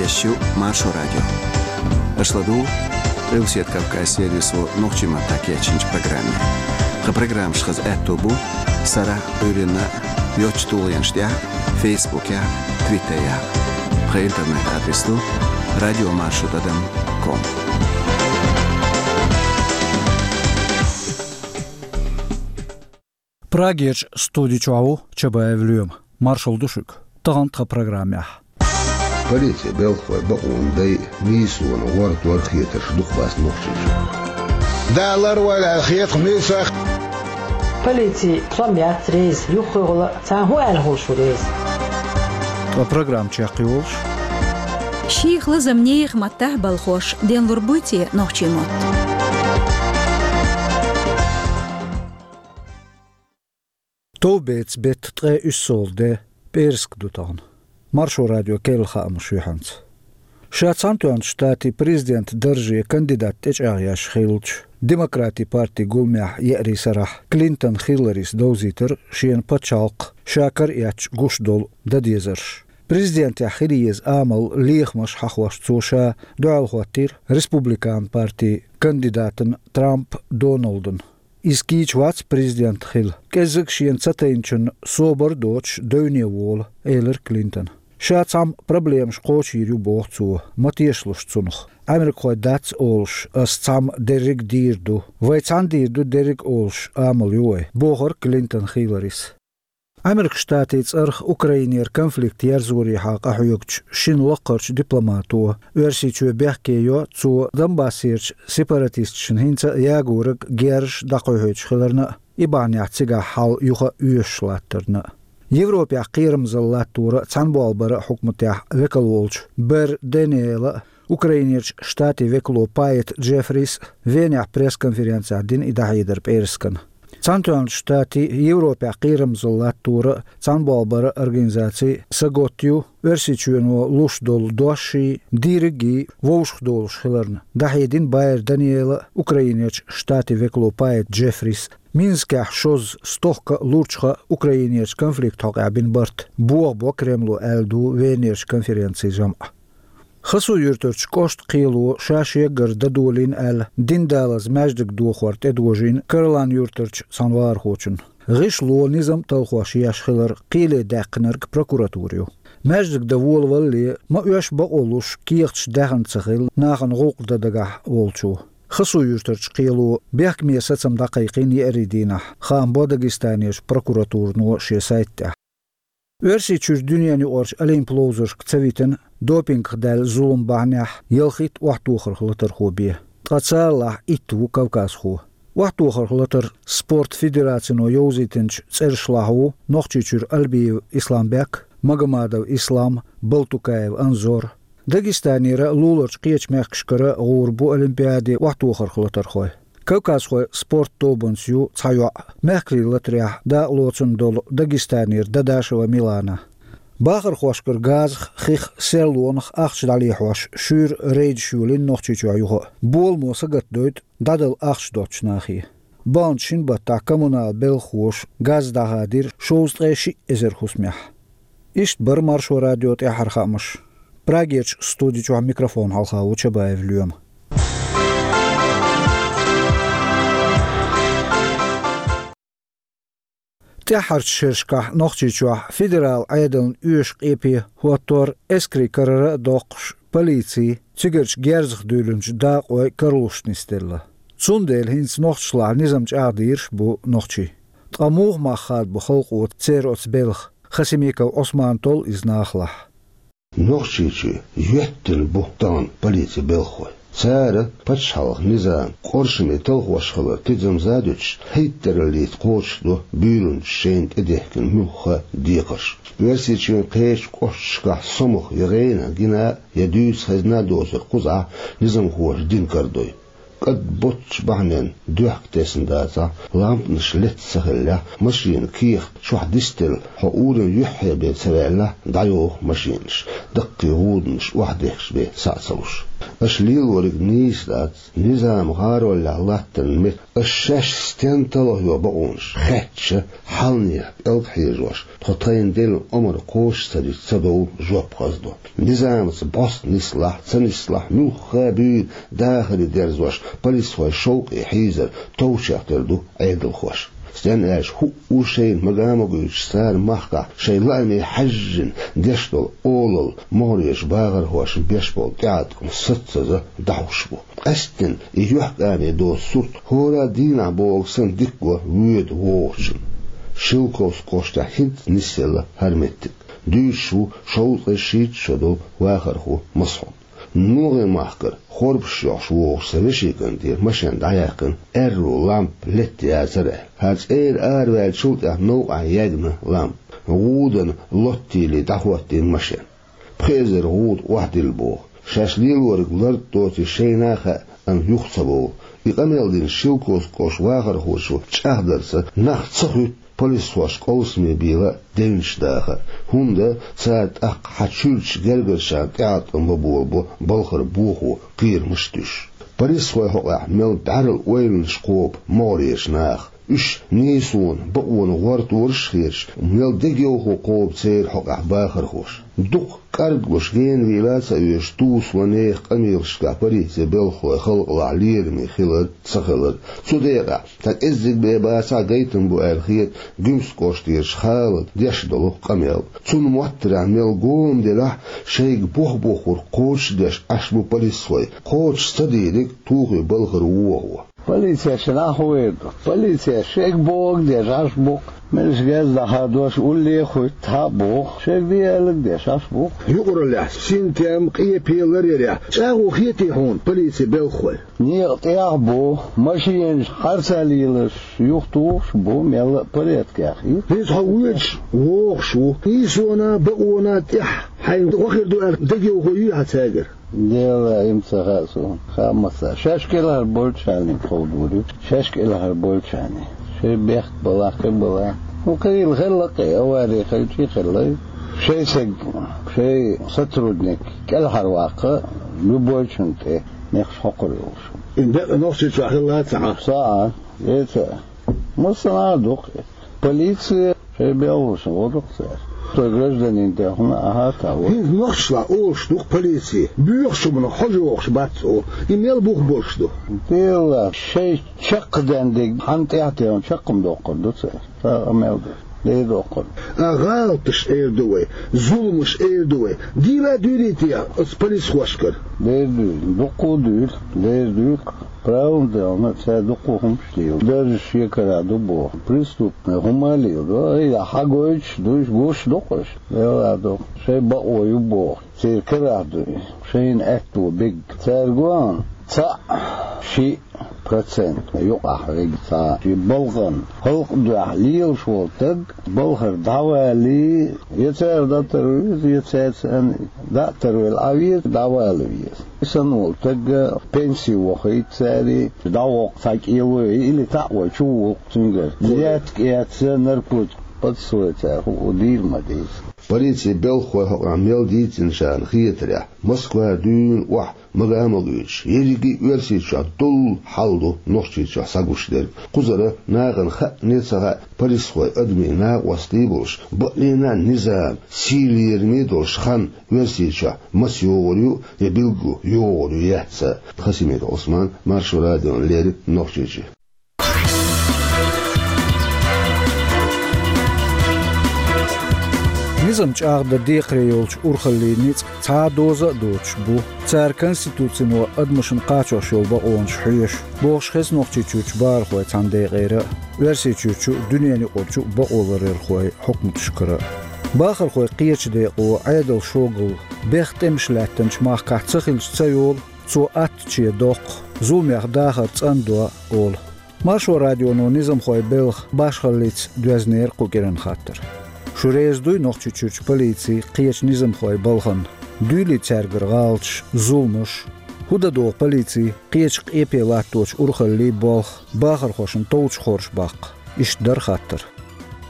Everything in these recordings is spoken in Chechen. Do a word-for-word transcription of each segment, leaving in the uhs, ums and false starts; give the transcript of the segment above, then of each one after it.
Шо Маршо радио. Аша ладугӀу Къилбаседа Кавказ сервисо нохчийн маттахь кечйинчу программе. Тхан программаш хаза аьтто бу сарахь а, Ӏуьйранна а йоцчу тулгӀенаш тӀехь а, Фейсбукехь а, Твиттерехь а. Тхан интернет-адрес ду радио маршо тӀадам ком. Прагерчу студи чохь ву Чабаев Лоьма. Маршалла ду шуьга. Тахана тхан программехь. Полицин белхалой бакъонан дай нийсонан гӀортор хетарш дукха бац Нохчийчохь. Далар вай аьлла хеташ нийсах. Полици сом яц реза, юххехула цхьа хӀун аьлла хуьлуш ву реза. Тхан программа чекхйолуш. Шех лазам нехан маттахь балхош денлур буй те нохчийн мотт? Товбеца беттан ткъе уьссалгӀа де, пӀераска ду тахана. Маршо радион керла хаамаш юьхьанца. Ша Цхьаьнатоьхначу Штатийн президентан дарже кандидат тӀечӀагӀъеш хиллачу Демократийн партин гуламехь еарин сарахь Клинтон Хилларис довзийтира шена пачхьалкхах ша караэцча гуш долу дан дезарш. Президентехь хила еза амал, лехамаш хьахош цо ша дуьхьал хӀоттийра Республикан партин кандидатана Трамп Доналдана. Иза кийча вац президент хила. КӀеззиг шена ца тайначунна собар а доцуш девне волу, элира Клинтона. Ша цхьамма проблемаш кхочуьйр ю, боху цо, ма тешалаш цунах. Америкахой дац олуш, ас цхьамма дерриг а дийр ду. Вай цхьаьна дийр ду дерриг а олуш, амал ю вай, бохура Клинтон Хилларис. Америкин Штатийн цӀарах Украинера конфликт ерзорехьа къахьоьгучу шина лаккхарчу дипломато Оьрсийчоь бехке йо, цо Донбассерчу сепаратисташна хӀинца а ягориг герзаш дӀакхойкхуьйтуш хиларна а, и бахьанехь цигахь хьал юха а оьшуш латтарна а. Европехь кхерамзалла латторан а, цхьаьнаболбаран а хьукматехь векал волчу Бер Даниэла а, Украинерчу Штатийн векало Пайет Джеффрис а Венехь пресс-конференцехь дина и дӀахьедар пӀераскана. Цхьаьнатоьхначу Штатийн, Европехь кхерамзалла латторан а, цхьаьнаболбаран а организаци сагатта ю Оьрсийчоьно луш долу дошший, дийриггий вовшахдолуш хиларна, дӀахьедина Байер Даниэла а, Украинерчу Штатийн векало Пайет Джеффрис а. Минскехь шозза, стохка а, лурчха а Украинерчу конфликт хьокъехь бина барт бохабо Кремло, аьлла ду Венерчу конференцин жамӀ. Хасу-Юьртарчу кӀоштан кхело ша шегара дан долийна аьлла, дин далаза маьждиг дохор тӀедожийна Карлан-Юьртарчу цхьана вахархочунна. ГӀишло низам талхош еш хилар кхеле даьккхинарг прокуратура ю. Маьждиг дан волавалале, ма оьшшу бакъо луш, кехаташ даьхна ца хилла нахана гӀуллакх дан дагахь волчо. Хасу-Юьртарчу кхело бехкаме сацам дӀакхайкхийна еарин дийнахь, хаам бо Дагестанерчу прокуратурано шен сайта тӀехь. Оьрсийчуьра дуьненаюкъарчу олимпийн ловзаршка ца витина, допингах даьлла зулам бахьанехь ялхитта охьатохарх латархо бен. Ткъа царалахь итт ву кавказхо. Охьатохарх латар спорт федерацино йовзийтинчу цӀершлахь ву Нохчийчуьра Альбиев Исламбек, Магомадов Ислам, Балтукаев Анзор. Дагестанера а, луларчу кхечу мехкашкара а гӀур бу олимпиаде охьатохарх латархой. Кавказхойн спорт тобанца ю цхьа йоӀ, мехкарийн латарехь дакъалоцун долу Дагестанера Дадашева Милана. Бахархошкара газах, хих, серлонах ахча дӀалехьош, шуьйра рейдаш йолийна Нохчийчохь юха а. Боламо сагатдойту дӀадала ахча доцучу нахе. Баханчу шина баттахь коммунал белхахоша газ дӀахадийра шовзткъе шиъ эзар хӀусамехь. Иштта бара Маршо радион тӀаьххьара хаамаш. Прагерчу студи чохь микрофон хьалха ву Чабаев Лоьма. ТӀаьххьарчу шерашкахь Нохчийчохь федералан Ӏедална оьшуш къепе хӀоттор эскарийн карара а доккхуш, полици, цигарчу герзах дуьйлинчу дакъойн каралуш нисделла. Цундела хӀинца нохчашлахь низам чӀагӀдийраш а бу нохчий. Ткъа муха мах хадабо халкъо церан оцу белхан? Хасимиков Ӏусмана толлу иза нахалахь. Нохчийчоь йоьттина бу тахана полицин белхахой. Цара пачхьалкхан низам къоршаме талхош хилар тидамза а дуьтуш, хӀиттараллица кхочушдо буьйранчаша шайна тӀедехкина муьлхха а декхарш. Оьрсийчоьнан кхечу кӀошташкахь сомах я гӀенах гина а, я дуьйцу хезна а доцург кхузахь низамхоша дина карадой. КӀадботчу бахьаненна доьхка тесна дацахь, лампанаш летта ца хиллехь, машенан кехат чохь дисделла, хьо урамна юьххье бен ца ваьллехь, дӀайоху машенаш, даккхий гӀуданаш охьадехкаш бен схьа а ца луш. Аша лелориг нийса дац, низам гӀаролехь латтарна мета, аша шаьш стен талхайо бакъонаш хаьттича, хьалнех пӀелг хьежош, тхо тхайна делла омра кхочуш ца дича, ца довла жоп хаза ду. Низамца бӀост нислахь, ца нислахь, муьлхха а буьйра дахаре дерзош, полисхой шовкъе хьийзар товчех тера ду Ӏедалхоша. Стен аьлча, хӀуъу шайна мага а ма гуьйтуш, цара махкахь шайн лааме хьаьжжина деш долу олалла, могӀарерчу бахархошна беш болу тӀеӀаткъам саццаза дӀахьуш бу. Къаьсттина и юьхькӀаме доцу сурт хӀора а дийнахь бохург санна дика го воьду вогӀучунна. Шелковски кӀоштахь хӀинца нисъелла хӀара меттиг. Дуьйцуш ву шовзткъе шийтта шо долу вахархо Масхьуд. НогӀийн махкара хорпаш йохуш вогӀуш сан вешин кӀанте машен дӀаяьккхина, аьрру лампа летта яцара аьлла. ХӀара цӀера араваьллачул тӀаьхьа новкъахь яьгна лампа. ГӀудана лоттийла дӀахӀоттийна машен. Пхи эзар гӀуда охьадилла боху. Шаьш лелориг лард доций шайна а хаьа, амма юха ца бовла. И къамел дина Шелковски кӀоштан вахархочо чӀагӀдарца, нах ца хуьтту полисхошна къовсаме бийла а, девнаш даха а. ХӀунда цара тӀаккха хьан чуьрачу гергарчарна тӀеӀаткъам бан болабо балхара бохо кхерамаш а туьйсуш. Полисхойн хьокъехь мел бӀаьрла ойланаш кхобу могӀарерчу наха. Уьш нийсонан, бакъонан гӀортораш а хеташ, мел дегайовхо кхобу церан хьокъехь бахархоша. Дукха кӀарглуш генавийла а ца оьшуш, тусо нехан къамелашкахь полицин белхалой халкъалахь лераме хилар а, ца хилар а. Цу декъехь, цхьа кӀеззиг бен бацахь а, гайтам бу аьлла хета Гуьмсан кӀоштерчу Халида деш долу къамел. Цунна моттарехь мел гома делахь а, шайга боху-бохург кхочушдеш Ӏаш бу полисхой, кхочуш ца дийриг тухий балхара вохо. Полицеш нах вер ду. Полицеш шега бохург деш Ӏаш бу-кх. Мелаш геза даха дош улле а хуьтту хьа а боху, шега де аьлларг деш Ӏаш бу-кх. Юкъараллехь, синтем, къепе ларъярехь чӀагӀо хетий хьуна полицин белхалой? Некъа тӀехь а бу, машенаш харцахьа лелаш юхатухуш а бу, мелла а порядкехь хета. ХӀинца хьо воьдуш вогӀуш ву. Нийсонан, бакъонан тӀехь хьайна гӀо хир ду аьлла дегайовхо юй хьан цаьргара? Делла, и-м ца хаьа суна. Хаамаца, шаьш кӀелхьара болчарна ховдур ю. Шаьш кӀелхьара болчарна. Шайн бехк балахь, кхин балахь. Ну, кхин хилла хилла-кх, авари хилча а хилла. Шайн стаг, шайн сотрудник кӀелхьара ваккха, любойчунна тӀе мехаш хьокхур йолуш. И декъа Нохчийчохь хилла ца Ӏа? Ца Ӏа, е ца. Массанхьа а ду-кх. Полици шайн белхалошна гӀо ду-кх цара. Со гражданин тӀехула а хьа а таӀо. ХӀинца нохчашлахь олуш ду-кх полици, боьхачу хӀуманах хьожа йогӀуш бац цо. И мел бух болуш ду? Делла, шайн чаккхе денна дерг хьан тӀехь а тевна чаккхе ма доккхур ду цара. Цхьа а къамел ду. Де доккхур. А гӀалаташ эр ду вай, зуламаш эр ду вай. Дийла а дуьйлий те оцу полисхошкара? Дер дуьйла, дуккха а дуьйла, дер дуьйла. Правилна делахь, цара дуккха а хӀуманаш лела. Даржаш шекара ду боху. Преступный хӀума а леладо. Ай, хьагойтуш а ду уьш, гуш а ду-кх уьш. Делла а ду. Шайн бакъо ю боху. Церан карахь ду. Шайна аьтто бега. Цаьрга ван цхьаъ, шиъ процент юкъахь вега цхьа. Шен балхана халкъан дуьхьа лелаш волу стаг балхара дӀавалий, я цара дӀатарвала веза, я цаьрца дӀа а тарвелла Ӏан веза, дӀавала веза. И санна волу стаг пенси вохуьйту цара, дӀавоккху цхьа кӀело, или таӀ вай чу вулкху цуьнгара. Летка эцна, наркотик подсвой цара, хӀуъу дийр ма деза. Полицин белхалой хьокъехь мел дийцинчарна хетарехь, Москва дуьйна охьа мага а ма гуьйтуш, ерриге а Оьрсийчохь долу хьал ду Нохчийчохь схьагуш дерг. Кхузара нахана хаьа а, ца хаьа а, полисхой адамийн накъостий болуш, бакъдолуш низам, сий лераме долуш хан Оьрсийчохь маца йогӀур ю я билггал йогӀур ю, яц а. Хасимиков Ӏусман, Маршо радиона леррина, Нохчийчоь. Низам чӀагӀдан декхаре йолчу урхаллийн ницкъ цхьа а доза а доцуш бу. Цара конституцино адамашна кхачош йолу бакъонаш хьоьшу, бохуш хеза Нохчийчуьрчу бахархой цхьана декъера а, Оьрсийчуьрчу а, дуьненаюкъарчу а бакъоларъярхойн хьукматашкара а. Бахархойн кхечу декъо Ӏедал шогалла, бех тӀемаш лаьттинчу махкахь ца хилча ца йолу, цо аттаче доккху, зуламех дахар цӀандо олу. Маршо радионо низамхойн белхан башхаллица доьзнера кху кӀиран хаттар. Шу реза дуй Нохчийчуьрчу полицин, кхечу низамхойн балхана? Дуьйлий цаьргара гӀалаташ, зуламаш? ХӀун дан догӀу полицин, кхечу къепе латточу урхаллийн болх бахархошна товчу хорша баккха? Иштта дара хаттар.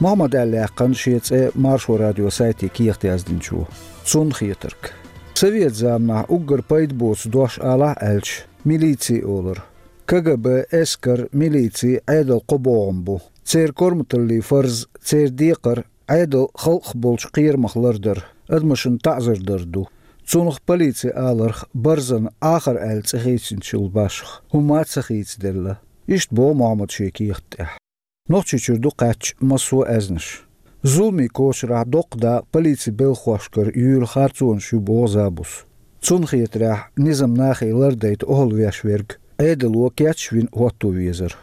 Мухьаммада аьлла яьккхина шен цӀе Маршо радион сайте кехат яздинчо. Цунна хетарг. Совет заманахь уггар пайда боцу дош алахь аьлча, милици олура. К Г Б, эскар, милици Ӏедал кхо богӀам бу. Церан корматаллин фарз церан декхар Ӏедал халкъах болчу кхерамах лардар, адамашна таӀзар дар ду. Цунах полици аларх барзан Ӏахар аьлла цӀе хийцинчул башха хӀума ца хийцаделла. Иштта боху Мохьмада шен кехат тӀехь. Нохчийчуьра ду кхаьчча массо а аьзнаш. Зуламе кочарахь доккха дакъа полици белхахошкара юьйлу харцонаш ю боху Забуса. Цунна хетарехь, низам нахе лардайта охьалвеш верг Ӏедало кечвина хӀотто везара.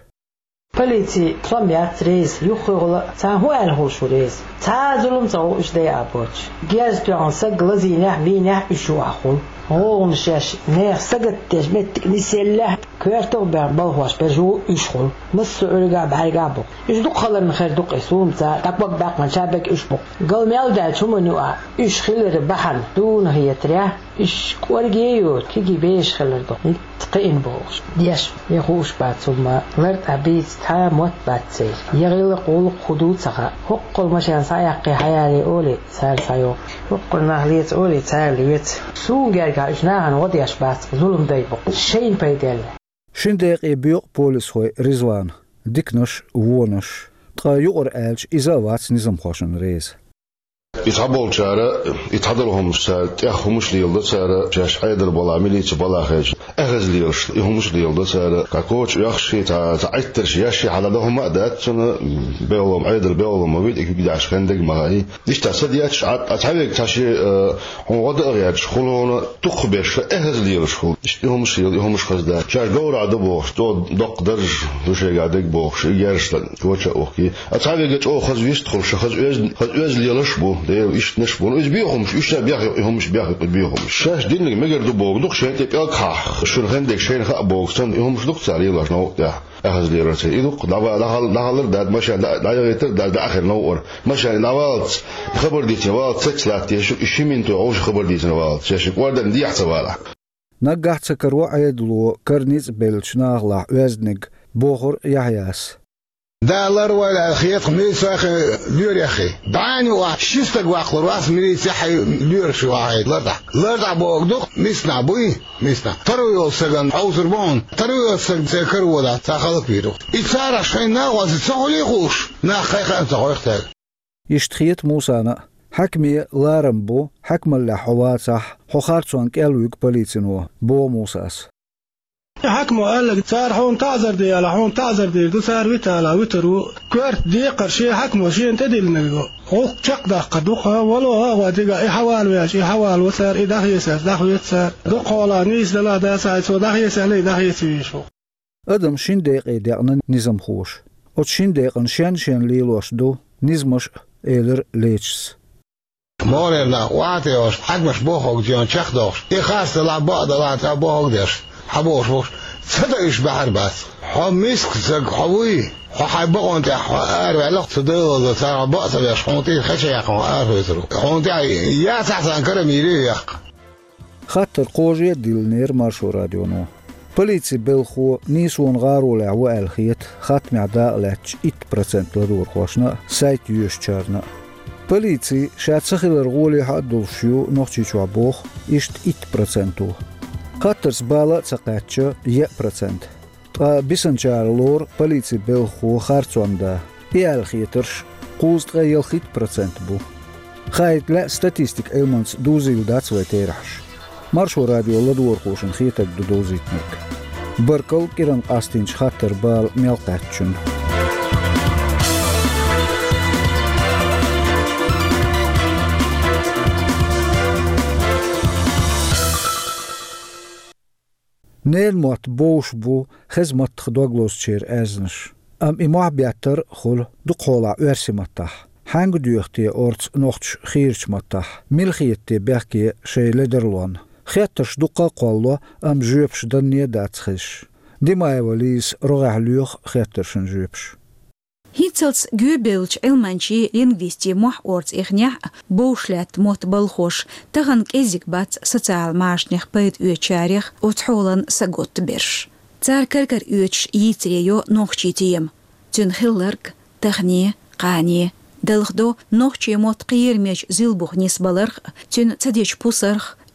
Полици сом яц реза, юххехула цхьа хӀун аьлла хуьлуш ву реза. Цхьа а зулам ца гӀо уьш дайа а боцуш. Герз тоьхна саг лазийнехь, бийнехь уьш юкъахь хуьлу. ГӀулгӀанаш еш, нехан сагатдеш меттиг нисъеллехь, коьртах а баьхна балхош берш ву уьш хуьлу. Массо а Ӏуьйригахь, бӀаьргахь бу. Уьш дукха халарна хир ду-кх и суна ца, тӀаккха бакъ баьккхина чаберг уьш бу. Гал мел даьлча хӀуманна ю а, уьш хилара бахьана, дуна хетарехь, уьш кӀорге а йоцуш, кегий бераш хилар ду. ХӀинцца кхиъна бохуш. Деш, я хууш бац хӀума, лартӀахь бийца цхьа а мотт бац церан. Я гӀиллакх, гӀуллакх хӀун ду ца хаьа. ХӀоккхул машен схьаяккхий, хьаялий олий, цара схьайоккху. ХӀоккхул нах леца олий, цара леца. Суна гергахь уьш нахана гӀо деш бац, зулам дай бу-кх. Шайна пайделла. Шина декъе боькъу полисхой Ризвана диканаш, вонаш. Ткъа юкъара аьлча, иза а вац низамхошна реза. И цхьаболчара, и цхьадолу хӀуманаш цара, тӀех хӀуманаш леладо цара, шаьш Ӏедал балахь, милици балахь хезча, эхаза лелаш, и хӀуманаш леладо цара, кху коча оьхуш, цхьа, цхьа Ӏиттарш еш, хьалха дан хӀума а дац цунна, белхалом, Ӏедал белхалом ма вита, и куьг даьхьаш хенниг ма хаьий. Иштта ца детташ, Ӏа, цхьа верг цхьа шен, э, хьуна гӀо дан а гӀерташ, хӀума хьуна дукха беш, эхаза лелаш хуьлу. Иштта и хӀуманаш лела, и хӀуманаш хаза дац. Шаьш говрахь ду бохуш, цо доккха дарж ду шайгахь дерг бохуш, и герзаш коча а ухкий. А цхьа верг чӀогӀа хаза вистхуьлуш, хаза оьзда, хаза оьзда лелаш а бу, Дела, иштанаш а бу. Ну, иза бехамаш, уьш ша бехйо, и хӀуманаш бехйо, и бехамаш. Шаьш диннарг мегар ду боху, дукха шайна тӀе пӀелг хьахь, шуна хенниг шайна хаа боху, санна, и хӀуманаш дукха цара лелош новкъа тӀехь. Эхаза лелар церан. И дукха дӀа-, дӀахьал-, дӀахьалар дац, машен дӀа-, дӀайохийтар дац, дӀа ахир новкъара. Машен дӀаваллалц, хабар дийцина валлалц, цецваллалц, и ши минуте вовшах хабар дийцина валлалц, шаьш кӀордана дехьа ца валахь. Наггахь ца каро Ӏедало кара ницкъ беллачу нахалахь оьзданиг, бохура Яхьъяс. Дала ларвойла аьлла хета-кх милицехи лоьрехи. БӀаьнна юкъахь ши стаг ваккхалур вац милицехи лоьраши вахьийта лартӀахь. ЛартӀахь бохург ду-кх, миснахь буй, миснахь. Таро йолу стагана хьовсур бу хьуна. Таро йолу стаг церан кара воьдахь, цхьа хӀаллаквийр ву-кх. И царах шайн накъостий ца хуьлий хууш, нах кхайкха а ца хьоьху цаьрга. Иштта хета Мусана а. Хьаькаме ларам бу, хьаькамаллехь хьо вацахь, хьо харцонна кӀел вуьгу полицино, боху Мусас. Хьаькамо аьлларг, цара хьуна таӀзар де аьлла, хьуна таӀзар дийр ду, цара вита аьлла, витар ву. Коьрта декхар шен хьаькамо шена тӀедиллинарг ду. ГӀуллакх чекхдаккхар ду-кх, вало а гӀо дигахь, и хьавалавелча, и хьавалаво цара, и дӀахеца аьлча, дӀахоьцу цара. Дукхахьолахь нийса делахь а, дацахь а, цо дӀахеца аьлла, и дӀахецавеш ву. Адам шина декъе декъна низамхоша. Оцу шина декъана шен-шен лелош ду низамаш а, элира Лечис. Моренна охьатайош, хьаькамаш бохург чехдохуш, и харц далахь, бакъ далахь, цхьа бохург деш, хьан бохуш бохуш, ца дан уьш баьхьар бац. Хьо миска стаг хьо вуй, хьо хьайн бакъонан тӀехь хьо араваьлла-кх, цу Делан царах бакъ ца беш, хьуна тӀера хеча яьккхина хьо аравоьцур ву. Хьуна тӀехь яцахь царна кара мийре а яьккха. Хаттар кхожа а диллинера Маршо радионо. Полицин белхахо нийсонан гӀаролехь ву аьлла хета хаттамехь дакъалаьцначу итт процент ладогӀархошна а, сайт йоьшучарна а. Полици ша ца хилар гӀоле хьа а долуш ю Нохчийчохь боху иштта итт проценто. Хаттарца бала а ца кхаьчча, еа процент. Ткъа бисинчара лору полицин белхахо харцонна да. И аьлла хетарш кхузткъе ялхитта процент бу. Хаийта лаьа статистикан Ӏилманца дузийла дац вай терахьаш. Маршо радион ладогӀархошна хетарг ду довзийтинарг. Баркалла кӀиранна къастийначу хаттаран бала мел кхаьчначунна. Ненан мотт бовш бу хеза маттах дог лозучеран аьзнаш. Амма и мохь беттар а хуьлу дукхахьолахь оьрсийн маттахь. Хьаьнга доьху те орца нохчаша хийрачу маттахь? Мила хета те бехке шайн ледарлонна? Хеттарш дуккха а кхоллало, амма жоьпаш данне а дац хезаш. Димаева Лизас рогӀехь лоьху хеттаршна жоьпаш. ХӀинццалц гоьбевллачу Ӏилманчийн, лингвистийн мохь орца эхнехь а, бовш лаьтта мотт балхош, тахана кӀеззиг бац социал-машанех пайда оьцучарех оцу хьолан саготта берш. Цара кар-кара оьцуш йийцаре йо нохчийн тема, цуьнан хилларг, тахане, кхане. Далхадо нохчийн мотт кхерамечу зилбуха нисбаларх а, цуьнан ца дечу пусарх а,